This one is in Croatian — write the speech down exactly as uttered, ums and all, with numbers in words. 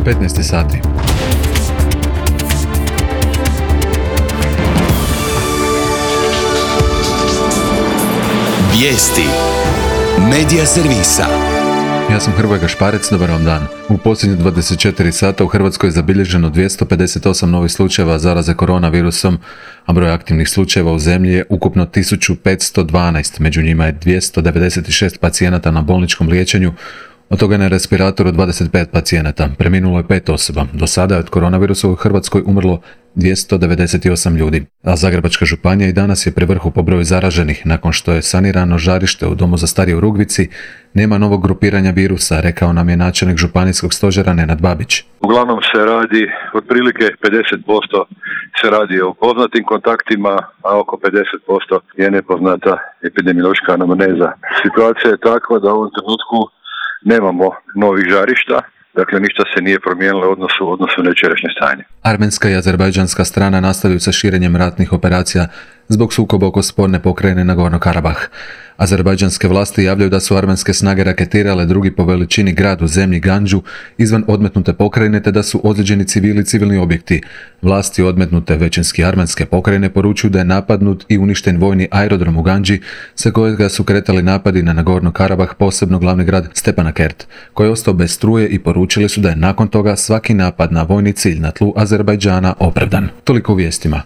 petnaest sati. Vijesti Medija servisa. Ja sam Hrvoje Gašparec, dobar vam dan. U posljednjih dvadeset četiri sata u Hrvatskoj je zabilježeno dvjesto pedeset osam novih slučajeva zaraze koronavirusom, a broj aktivnih slučajeva u zemlji je ukupno tisuću petsto dvanaest, među njima je dvjesto devedeset šest pacijenata na bolničkom liječenju, od toga je na respiratoru dvadeset pet pacijenata, preminulo je pet osoba. Do sada je od koronavirusa u Hrvatskoj umrlo dvjesto devedeset osam ljudi, a Zagrebačka županija i danas je pri vrhu po broju zaraženih. Nakon što je sanirano žarište u domu za starije u Rugvici, nema novog grupiranja virusa, rekao nam je načelnik županijskog stožera Nenad Babić. Uglavnom se radi, otprilike pedeset posto se radi o poznatim kontaktima, a oko pedeset posto je nepoznata epidemiološka anamneza. Situacija je takva da u ovom trenutku nemamo novih žarišta, dakle ništa se nije promijenilo u odnosu, odnosu na jučerašnje stanje. Armenska i azerbajdžanska strana nastavljaju sa širenjem ratnih operacija zbog sukoba oko sporne pokrajine Nagorno-Karabah. Azerbajdžanske vlasti javljaju da su armenske snage raketirale drugi po veličini grad u zemlji Gandžu izvan odmetnute pokrajine, te da su ozlijeđeni civili i civilni objekti. Vlasti odmetnute većinski armenske pokrajine poručuju da je napadnut i uništen vojni aerodrom u Gandži, sa kojega su kretali napadi na Nagorno-Karabah, posebno glavni grad Stepanakert, koji je ostao bez struje, i poručili su da je nakon toga svaki napad na vojni cilj na tlu Azerbajdžana opravdan. Toliko u vijestima.